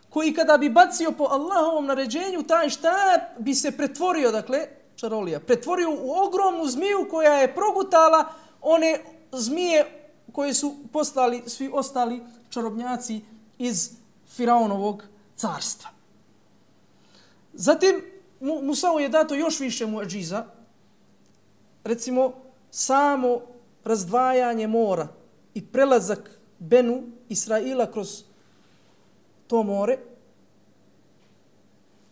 koji kada bi bacio po Allahovom naređenju, taj štap bi se pretvorio, dakle, čarolija, pretvorio u ogromnu zmiju koja je progutala one zmije koje su postali svi ostali čarobnjaci iz Firaonovog carstva. Zatim, Musa'u je dato još više muadžiza, recimo, samo razdvajanje mora i prelazak Benu Israila kroz to more.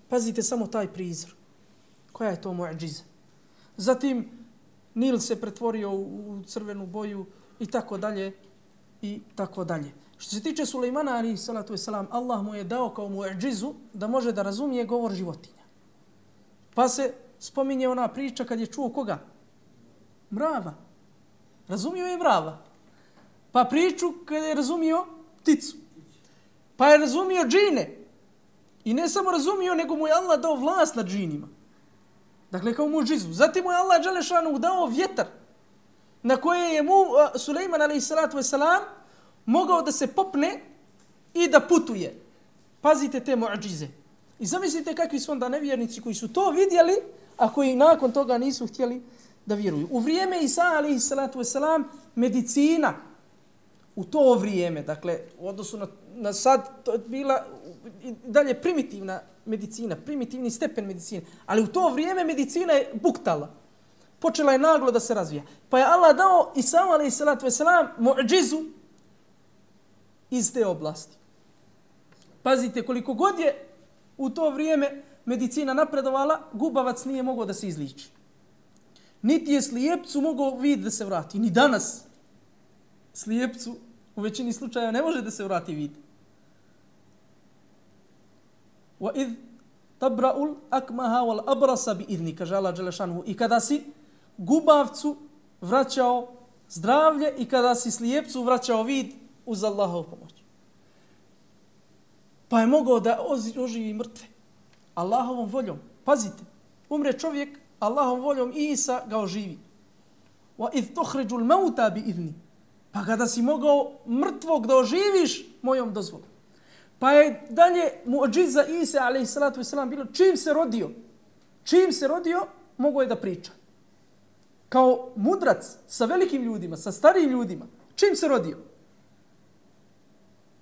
Pazite samo taj prizor. Koja je to muadžiza? Zatim, Nil se pretvorio u crvenu boju i tako dalje, i tako dalje. Što se tiče Sulejmana alejhi salatu vesselam, Allah mu je dao kao muadžizu da može da razumije govor životinja. Pa se spominje ona priča kad je čuo koga? Mrava. Razumio je mrava. Pa priču kad je razumio pticu. Pa je razumio džine. I ne samo razumio, nego mu je Allah dao vlast nad džinima. Dakle, kao muadžizu. Zatim mu je Allah dželešanu dao vjetar na koje je Sulejman alejhi salatu vesselam mogao da se popne i da putuje. Pazite te muadžize. I zamislite kakvi su onda nevjernici koji su to vidjeli, a koji nakon toga nisu htjeli da vjeruju. U vrijeme Isa alejhi salatu vesselam medicina u to vrijeme, dakle, u odnosu na sad, to je bila dalje primitivna medicina, primitivni stepen medicine, ali u to vrijeme medicina je buktala. Počela je naglo da se razvija. Pa je Allah dao Isa alejhi salatu vesselam muadžizu iz te oblasti. Pazite, koliko god je u to vrijeme medicina napredovala, gubavac nije mogao da se izliči. Niti je slijepcu mogao vid da se vrati. Ni danas slijepcu u većini slučaja ne može da se vrati vid. وَإِذْ تَبْرَأُ الْأَكْمَهَا وَالْأَبْرَسَ بِإِذْنِ, kaže Allah dželešanuhu. I kada si gubavcu vraćao zdravlje i kada si slijepcu vraćao vid uz Allahovu pomoć. Pa je mogao da oživi mrtve Allahovom voljom. Pazite, umre čovjek, Allahovom voljom Isa ga oživi. وَإِذْ تُخْرِجُ الْمَوْتَى بِإِذْنِ, pa kada si mogao mrtvog da oživiš mojom dozvolom. Pa je dalje muadžiza Isa alejhi salatu vesselam bilo čim se rodio, mogao je da priča. Kao mudrac sa velikim ljudima, sa starijim ljudima. Čim se rodio?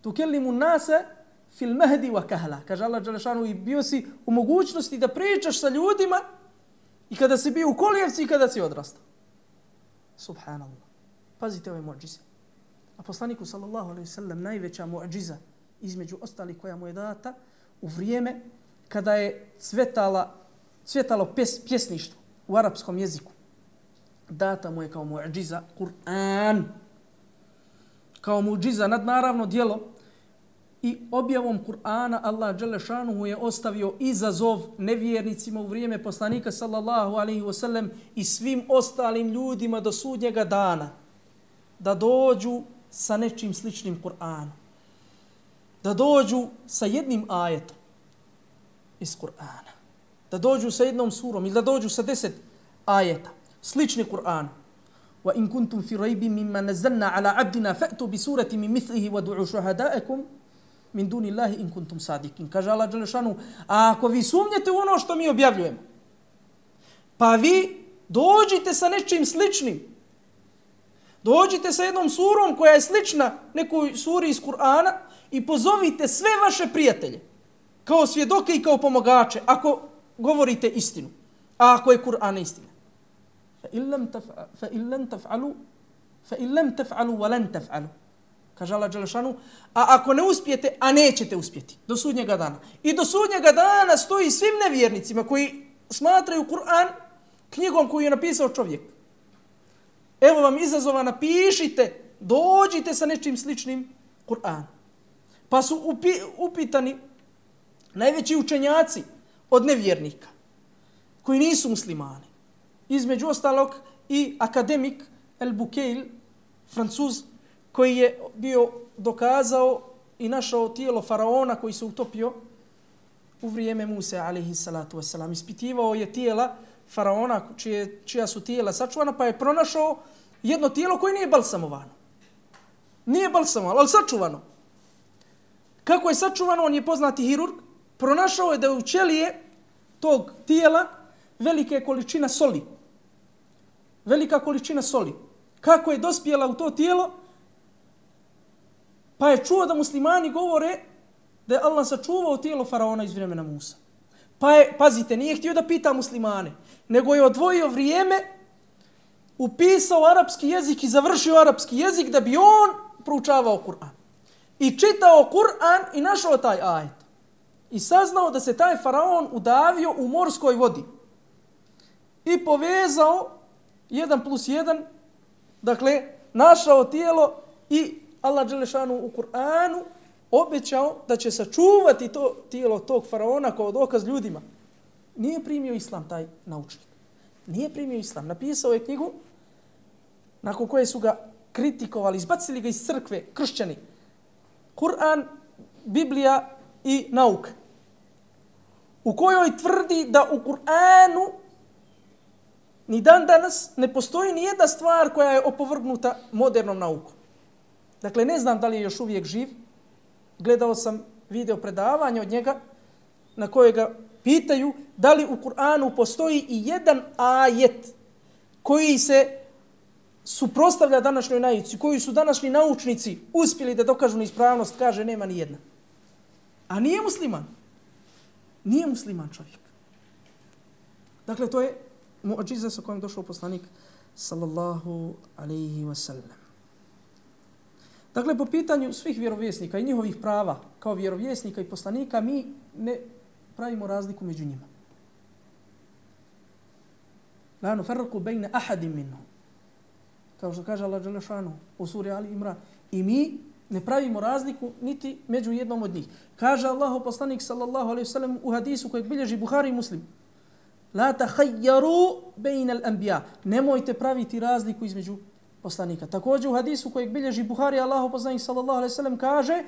Tukellimu nase fil mahdi wa kahla. Kaže Allah dželešanu, i bio si u mogućnosti da pričaš sa ljudima i kada si bio u kolijevci i kada si odrastao. Subhanallah. Pazite ove muadžize. A poslaniku sallallahu alejhi ve sellem najveća muadžiza između ostalih koja mu je data u vrijeme kada je cvjetalo pjesništvo u arapskom jeziku. data mu je kao mu'džiza Kur'an. Kao mu'džiza nadnaravno djelo. I objavom Kur'ana Allah dželešanuhu je ostavio izazov nevjernicima u vrijeme poslanika sallallahu alaihi wasallam i svim ostalim ljudima do sudnjega dana da dođu sa nečim sličnim Kur'anu. Da dođu sa jednim ajetom iz Kur'ana. Da dođu sa jednom surom ili da dođu sa 10 ajeta slični Kur'anu. Wa in kuntum fi raybin mimma nazzalna ala abdina fa'tu bi surati min mithlihi wad'u shuhada'akum min duni Allahi in kuntum sadikin. Kaže Allah dželešanu, a ako vi sumnjete u ono što mi objavljujemo, pa vi dođite sa nečim sličnim. Dođite sa jednom surom koja je slična nekoj suri iz Kur'ana i pozovite sve vaše prijatelje kao svjedoke i kao pomogače ako govorite istinu. A ako je Kur'an istina. Fa in lam taf'alu wa lan taf'alu. Kaže Allah dželešanu, a ako ne uspijete, a nećete uspjeti do sudnjega dana. I do sudnjega dana stoji svim nevjernicima koji smatraju Kur'an knjigom koju je napisao čovjek. Evo vam izazova, napišite, dođite sa nečim sličnim Kur'an. Pa su upitani najveći učenjaci od nevjernika koji nisu muslimani. Između ostalog i akademik El Bukeil, Francuz, koji je bio dokazao i našao tijelo faraona koji se utopio u vrijeme Muse alejhi salatu vesselam. Ispitivao je tijela faraona čija su tijela sačuvana, pa je pronašao jedno tijelo koje nije balsamovano. Nije balsamovano, ali sačuvano. Kako je sačuvano, on je poznati hirurg, pronašao je da u ćelije tog tijela velika količina soli. Velika količina soli. Kako je dospjela u to tijelo, pa je čuo da muslimani govore da je Allah sačuvao tijelo faraona iz vremena Musa. Pa je, pazite, nije htio da pita muslimane, nego je odvojio vrijeme, upisao arapski jezik i završio arapski jezik da bi on proučavao Kur'an. I čitao Kur'an i našao taj ajet. I saznao da se taj faraon udavio u morskoj vodi. I povezao 1+1, dakle, našao tijelo i Allah dželešanu u Kur'anu obećao da će sačuvati to tijelo tog faraona kao dokaz ljudima. Nije primio islam taj naučnik. Nije primio islam. Napisao je knjigu nakon koje su ga kritikovali, izbacili ga iz crkve, kršćani. Kur'an, Biblija i nauka. U kojoj tvrdi da u Kur'anu ni dan danas ne postoji ni jedna stvar koja je opovrgnuta modernom naukom. Dakle, ne znam da li je još uvijek živ. Gledao sam video predavanje od njega na koje ga pitaju da li u Kur'anu postoji i jedan ajet koji se suprotstavlja današnjoj nauci, koji su današnji naučnici uspjeli da dokažu neispravnost, kaže nema ni jedna. A nije musliman. Nije musliman čovjek. Dakle, to je mu'džiza sa kojom došao poslanik sallallahu alaihi wasallam. Dakle, po pitanju svih vjerovjesnika i njihovih prava kao vjerovjesnika i poslanika, mi ne pravimo razliku među njima. La nufarriqu bejne ahadim minhum. Kao što kaže Allah dželešanu u suri Ali Imran. I mi ne pravimo razliku niti među jednom od njih. Kaže Allahu poslanik sallallahu alejhi ve sellem u hadisu kojeg bilježi Buhari i Muslim: La tahayyaru bejne al-anbiya. Nemojte praviti razliku između poslanika. Također u hadisu kojeg bilježi Buhari, Allahu poslanik sallallahu alejhi ve sellem kaže: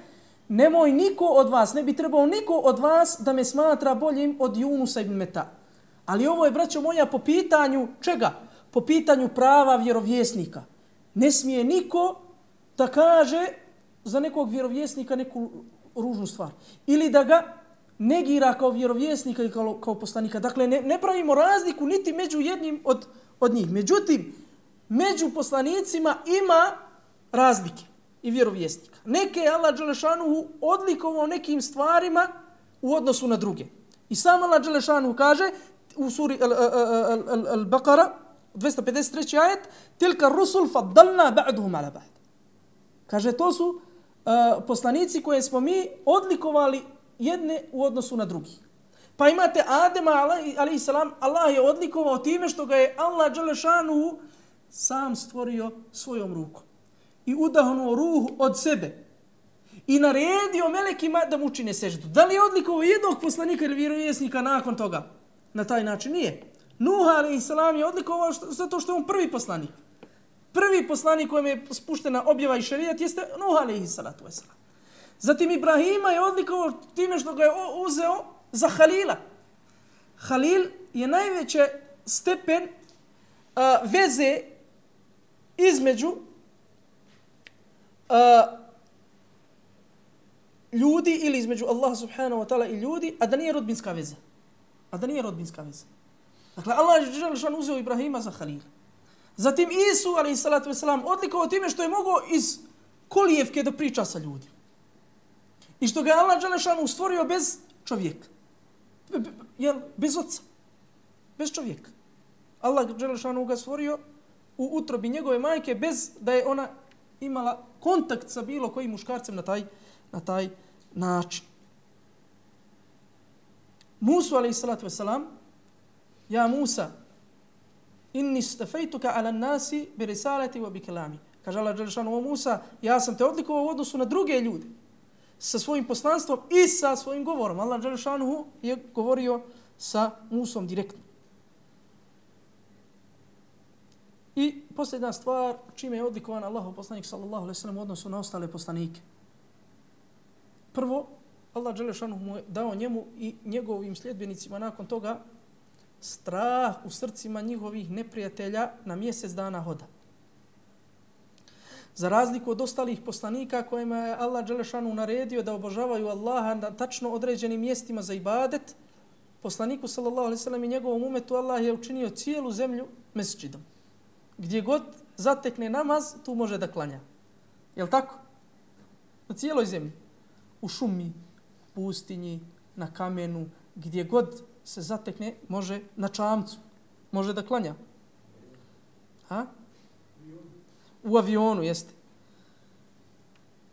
nemoj niko od vas, ne bi trebao niko od vas da me smatra boljim od Junusa ibn Meta. Ali ovo je, braćo moja, po pitanju čega? Po pitanju prava vjerovjesnika. Ne smije niko da kaže za nekog vjerovjesnika neku ružnu stvar. Ili da ga negira kao vjerovjesnika i kao poslanika. Dakle, ne pravimo razliku niti među jednim od njih. Međutim, među poslanicima ima razlike i vjerovjesnika. Neke je Allah dželešanuhu odlikovao nekim stvarima u odnosu na druge. I sam Allah dželešanuhu kaže u suri Al-Baqara, 253. ajet: Tilka rusul faddalna ba'duhum ala ba'd. Kaže, to su poslanici koje smo mi odlikovali jedne u odnosu na drugih. Pa imate Adema alejhi salam, Allah je odlikovao time što ga je Allah dželešanuhu sam stvorio svojom rukom i udahnuo ruhu od sebe i naredio melekima da mu učine seždu. Da li je odlikovao jednog poslanika ili vjerovjesnika nakon toga? Na taj način nije. Nuh a.s. je odlikovao zato što je on prvi poslanik. Prvi poslanik kojem je spuštena objava i šerijat jeste Nuh a.s. Zatim Ibrahima je odlikovao time što ga je uzeo za Halila. Halil je najveći stepen veze između ljudi ili između Allaha subhanahu wa ta'ala i ljudi, a da nije rodbinska veza. Dakle, Allah je dželešan uzeo Ibrahima za Halila. Zatim Isu, a.s. odlikovao time što je mogao iz kolijevke da priča sa ljudima. I što ga je Allah dželešan stvorio bez čovjeka. Bez oca. Bez čovjeka. Allah dželešan ga stvorio u utrobi njegove majke bez da je ona imala kontakt sa bilo kojim muškarcem na taj način. Musa a.s. Ja Musa, inni stafejtuka ala nasi bi risalati wa bi kalami. Kaže Allah dželešanu, o Musa, ja sam te odlikovao u odnosu na druge ljude sa svojim poslanstvom i sa svojim govorom. Allah dželešanu je govorio sa Musom direktno. I posljedna stvar, čime je odlikovan Allahov poslanik sallallahu alejhi ve sellem u odnosu na ostale poslanike. Prvo, Allah dželešanu mu je dao njemu i njegovim sljedbenicima nakon toga strah u srcima njihovih neprijatelja na mjesec dana hoda. Za razliku od ostalih poslanika kojima je Allah dželešanu naredio da obožavaju Allaha na tačno određenim mjestima za ibadet, poslaniku sallallahu alejhi ve sellem i njegovom umetu Allah je učinio cijelu zemlju mesdžidom. Gdje god zatekne namaz, tu može da klanja. Jel' tako? Na cijeloj zemlji. U šumi, pustinji, na kamenu, gdje god se zatekne, može na čamcu. Može da klanja. Ha? U avionu, jeste.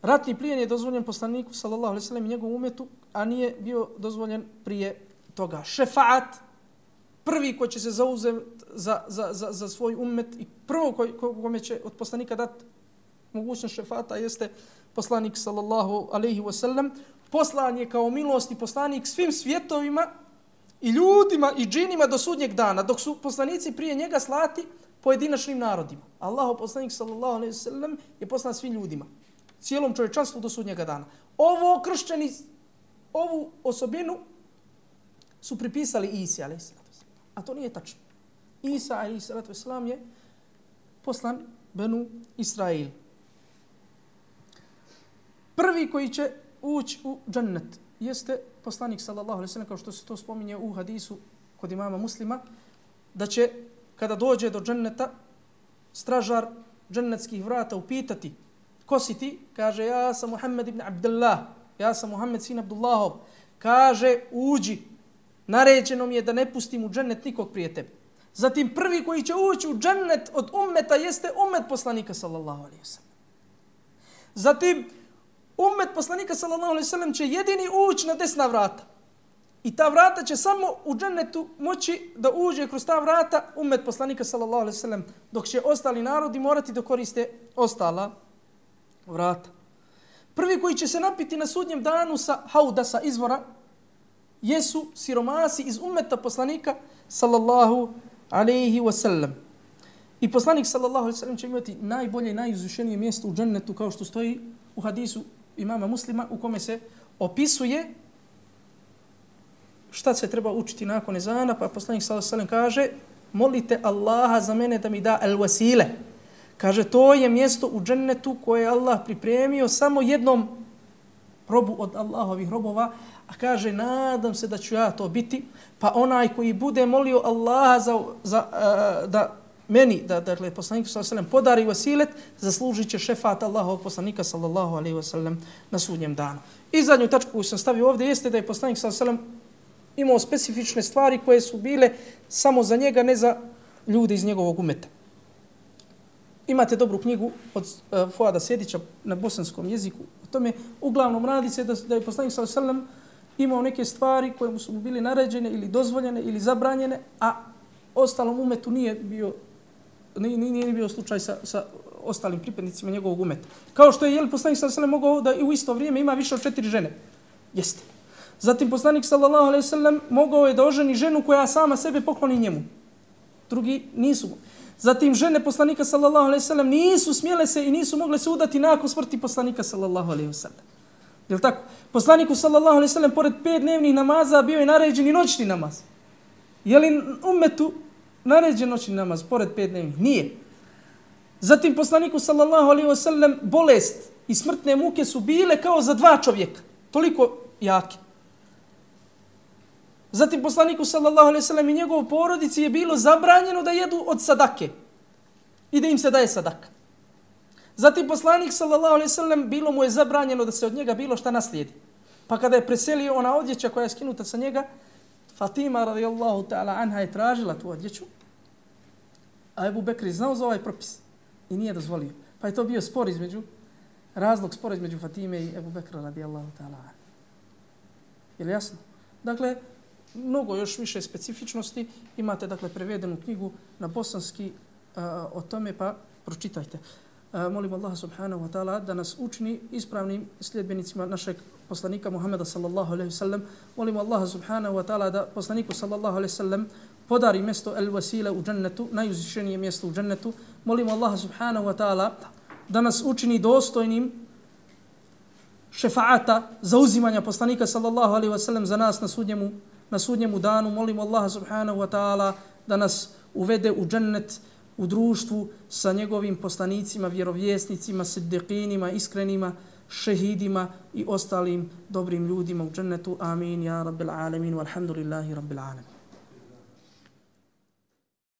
Ratni plijen je dozvoljen poslaniku, sallallahu alejhi ve sellem, i njegovom umetu, a nije bio dozvoljen prije toga. Šefaat, prvi ko će se zauzeti za svoj umet i prvo kome će od poslanika dati mogućnost šefata jeste poslanik sallallahu alejhi ve sellem. Poslan je kao milost i poslanik svim svjetovima i ljudima i džinima do sudnjeg dana, dok su poslanici prije njega slati pojedinačnim narodima. Allahov poslanik sallallahu alejhi ve sellem je poslan svim ljudima, cijelom čovječanstvu do sudnjega dana. Ovo kršćani, ovu osobinu su pripisali Isi alejhi selam. A to nije tačno. Isa alejhi selam je poslan Benu Israil. Prvi koji će ući u džennet jeste poslanik sallallahu alejhi ve sellem, kao što se to spominje u hadisu kod imama Muslima, da će kada dođe do dženneta stražar džennetskih vrata upitati: ko si ti? Kaže: ja sam Muhammed ibn Abdullah, ja sam Muhammed sin Abdullahov. Kaže: uđi, naređeno mi je da ne pustim u džennet nikog prije tebe. Zatim prvi koji će ući u džennet od ummeta jeste ummet poslanika sallallahu alejhi ve sellem. Zatim ummet poslanika sallallahu alejhi ve sellem će jedini ući na desna vrata. I ta vrata će samo u džennetu moći da uđe kroz ta vrata ummet poslanika sallallahu alejhi ve sellem, dok će ostali narodi morati da koriste ostala vrata. Prvi koji će se napiti na sudnjem danu sa hauda, sa izvora, jesu siromasi iz ummeta poslanika sallallahu alejhi ve sellem. I poslanik sallallahu alejhi ve sellem će imati najbolje i najuzvišenije mjesto u džennetu, kao što stoji u hadisu imama Muslima, u kome se opisuje šta se treba učiti nakon ezana, pa poslanik sallallahu alejhi ve sellem kaže: molite Allaha za mene da mi da al-wasile. Kaže, to je mjesto u džennetu koje je Allah pripremio samo jednom robu od Allahovih robova, a kaže: nadam se da ću ja to biti, pa onaj koji bude molio Allaha da meni, dakle poslaniku sallallahu alejhi ve sellem podari vasilet, zaslužit će šefat Allahovog poslanika sallallahu alejhi ve sellem na sudnjem danu. I zadnju tačku koju sam stavio ovdje jeste da je poslanik sallallahu alejhi ve sellem imao specifične stvari koje su bile samo za njega, ne za ljude iz njegovog umeta. Imate dobru knjigu od Fuada Sedića na bosanskom jeziku. O tome uglavnom radi se da je poslanik sallallahu alejhi ve sellem imao neke stvari koje mu su bili naređene ili dozvoljene ili zabranjene, a ostalom umetu nije bio nije bio slučaj sa ostalim pripadnicima njegovog umeta. Kao što je poslanik sallallahu alejhi ve sellem mogao da i u isto vrijeme ima više od 4 žene. Jeste. Zatim poslanik sallallahu alejhi ve sellem mogao je da oženi ženu koja sama sebe pokloni njemu. Drugi nisu. Zatim žene poslanika sallallahu alejhi ve sellem nisu smjele se i nisu mogle se udati nakon smrti poslanika sallallahu alejhi ve sellem. Jel tako? Poslaniku sallallahu alejhi ve sellem pored 5 dnevnih namaza bio je naređen i noćni namaz. Je li ummetu naređen noćni namaz pored 5 dnevnih? Nije. Zatim poslaniku sallallahu alejhi ve sellem bolest i smrtne muke su bile kao za 2 čovjeka. Toliko jake. Zatim poslaniku sallallahu alejhi ve sellem i njegovoj porodici je bilo zabranjeno da jedu od sadake i da im se daje sadaka. Zatim poslanik sallallahu alejhi ve sellem bilo mu je zabranjeno da se od njega bilo šta naslijedi. Pa kada je preselio ona odjeća koja je skinuta sa njega, Fatima radijallahu ta'ala anha je tražila tu odjeću, a Ebu Bekr je znao za ovaj propis i nije dozvolio. Pa je to bio razlog spora između Fatime i Ebu Bekra radijallahu ta'ala anha. Je li jasno? Dakle, mnogo još više specifičnosti. Imate, dakle, prevedenu knjigu na bosanski o tome, pa pročitajte. Molim Allaha subhanahu wa ta'ala da nas učini ispravnim sljedbenicima našeg poslanika Muhameda sallallahu alejhi ve sellem. Molim Allaha subhanahu wa ta'ala da poslaniku sallallahu alejhi ve sellem podari mjesto el-wasila u džennetu, najuzvišenije mjesto u džennetu. Molim Allaha subhanahu wa ta'ala da nas učini dostojnim šefaata, zauzimanja poslanika sallallahu alejhi ve sellem za nas na sudnjemu danu. Molim Allaha subhanahu wa ta'ala da nas uvede u džennet u društvu sa njegovim poslanicima, vjerovjesnicima, siddiqinima, iskrenima, šehidima i ostalim dobrim ljudima u džennetu. Amin, ja rabbil alamin, walhamdulillahi rabbil alamin.